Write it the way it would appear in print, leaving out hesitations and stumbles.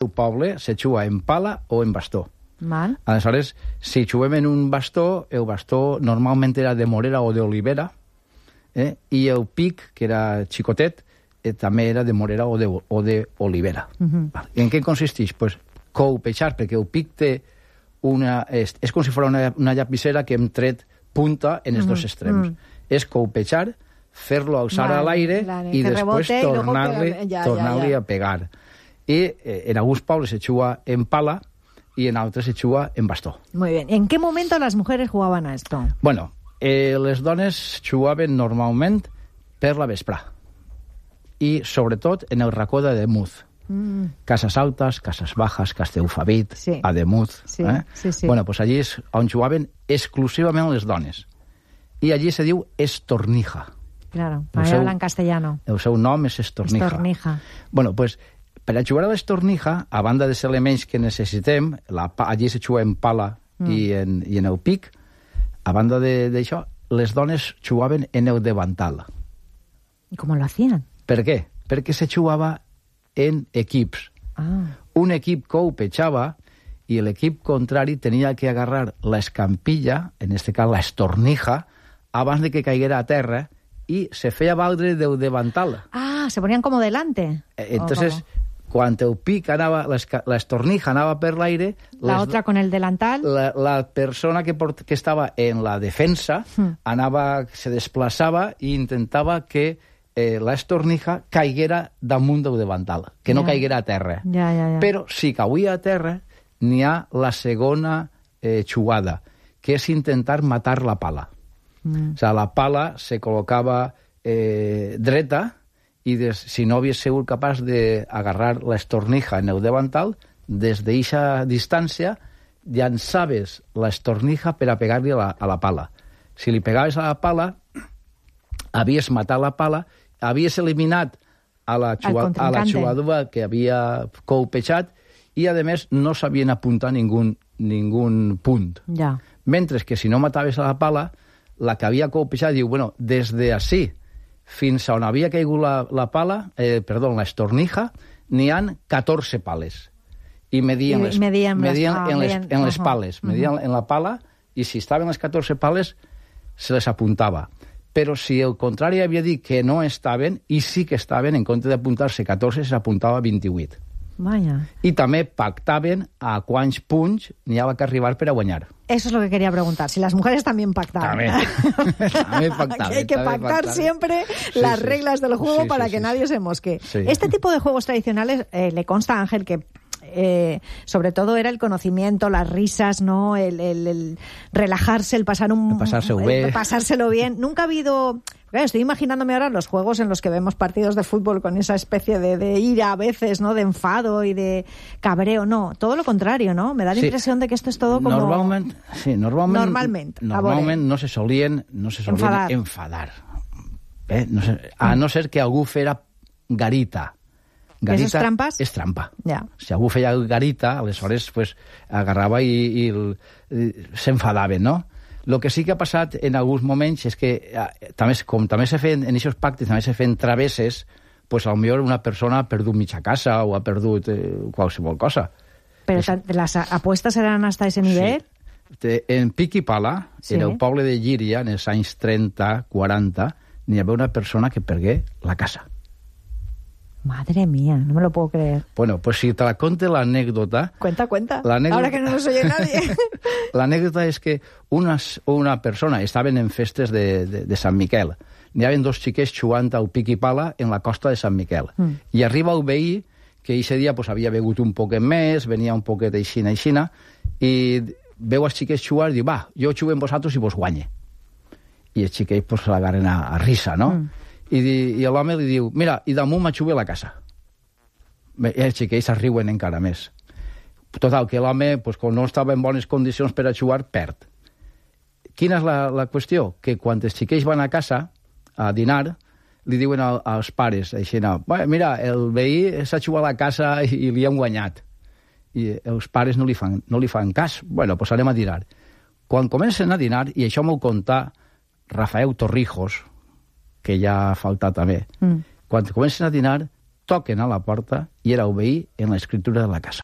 el poble se juga en pala o en bastó. Mal. Aleshores, si juguem en un bastó, el bastó normalment era de morera o d'olivera, i el pic, que era xicotet, també era de morera o d'olivera. I en què consisteix? Pues coupechar, perquè el pic té és com si fos una llapissera que hem tret punta en els dos extrems. És coupechar, fer-lo alçar a l'aire i després tornar-li a pegar. I en alguns pobles se juga en pala y en otros se juga en bastó. Muy bien. ¿En qué momento las mujeres jugaban a esto? Bueno, les dones jugaven normalment per la vesprà i sobretot en el racó d'Ademuz. Casas Altas, Casas Bajas, Castellfabit, Ademuz. Sí. Bueno, pues allí és on jugaven exclusivament les dones. I allí se diu estornija. Claro, para hablar en castellano. El seu nom és estornija. Estornija. Bueno, pues per a jugar a l'estornija, a banda dels elements que necessitem, allí se juga en pala i en el pic, a banda d'això, les dones jugaven en el davantal. ¿Y cómo lo hacían? Per què? Perquè se jugava en equips. Un equip coupechava i l'equip contrari tenia que agarrar l'escampilla, en este cas l'estornija, abans de que caiguera a terra i se feia valdre del davantal. Se ponían como delante. Entonces, quan el pic anava, l'estornija anava per l'aire... La otra con el delantal. La persona que estava en la defensa se desplaçava i intentava que l'estornija caiguera damunt del davantal, que no caiguera a terra. Però si cauia a terra, n'hi ha la segona jugada, que és intentar matar la pala. O sigui, la pala se col·locava dreta i si no havies sigut capaç d'agarrar l'estornija en el davantal, des d'eixa distància llançaves l'estornija per a pegar-li a la pala. Si li pegaves a la pala, havies matat la pala, havies eliminat a la jugadora que havia coupejat i, a més, no s'havien apuntat ningú punt. Mentre que si no mataves a la pala, la que havia coupejat diu, bueno, des d'ací fins on havia caigut l'estornija, n'hi han 14 pales. I medien en les pales. Medien en la pala i si estaven les 14 pales se les apuntava. Però si el contrari havia dit que no estaven, i sí que estaven, en compte d'apuntar-se 14, s'apuntava 28. I també pactaven a quants punts n'hi havia que arribar per a guanyar. Eso es lo que quería preguntar, si las mujeres también pactaban. También pactaban. Hay que pactar siempre las reglas del juego para que nadie se mosquee. Este tipo de juegos tradicionales, le consta a Ángel que sobre todo era el conocimiento, las risas, ¿no? El relajarse, el pasárselo bien. Nunca ha habido... Claro, estoy imaginándome ahora los juegos en los que vemos partidos de fútbol con esa especie de ira a veces, ¿no? De enfado y de cabreo. No, todo lo contrario, ¿no? Me da la impresión de que esto es todo como... Normalment no se solien enfadar. A no ser que algú fera garita. ¿Eso es trampas? És trampa. Si algú feia garita, aleshores agarrava i s'enfadaven, no? El que sí que ha passat en alguns moments és que, com també se feien, en aquests pactes també se feien travesses, potser una persona ha perdut mitja casa o ha perdut qualsevol cosa. ¿Pero las apuestas eran hasta ese nivel? Sí. En pic i pala, en el poble de Llíria, en els anys 30-40, n'hi havia una persona que pergué la casa. Madre mía, no me lo puedo creer. Bueno, pues si te la conte l'anècdota... Cuenta. Ahora que no nos oye nadie. L'anècdota és que una persona estaven en festes de Sant Miquel. N'hi havia dos xiquets jugant al pic i pala en la costa de Sant Miquel. I arriba el veí, que aquest dia havia begut un poquet més, venia un poquet aixina, i veu els xiquets jugar i diu, va, jo jugo amb vosaltres i vos guanye. I els xiquets l'agarren a risa, no? I l'home li diu, mira, i damunt m'aixuve la casa. I els xiquets s'arriuen encara més. Total, que l'home, quan no estava en bones condicions per a jugar, perd. Quina és la qüestió? Que quan els xiquets van a casa a dinar, li diuen als pares, mira, el veí s'ha jugat a la casa i li han guanyat. I els pares no li fan cas. Bueno, doncs anem a dinar. Quan comencen a dinar, i això m'ho contà Rafael Torrijos, que ja ha faltat també. Quan comencen a dinar, toquen a la porta i era el veí en l'escriptura de la casa.